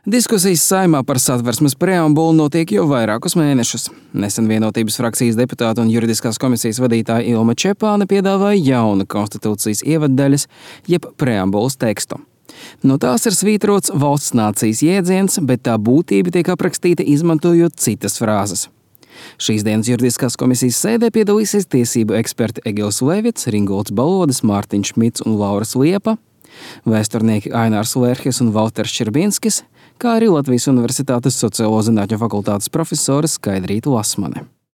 Diskusijas Saeimā par Satversmes preambulu notiek jau vairākus mēnešus. Nesen Vienotības frakcijas deputāta un juridiskās komisijas vadītāja Ilma Čepāne piedāvāja jaunu konstitūcijas ievaddaļas, jeb preambulas tekstu. No tās ir svītrots valsts nācijas jēdziens, bet tā būtība tiek aprakstīta izmantojot citas frāzes. Šīs dienas juridiskās komisijas sēdē piedalīsies tiesību eksperti Egils Levits, Ringolds Balodis, Mārtiņš Šmits un Lauras Liepa, vēsturnieki Ainārs Lērhis un Valters Ščerbinskis, kā arī Latvijas Universitātes sociālo zinātņu fakultātes profesore Skaidrīta Lasmane.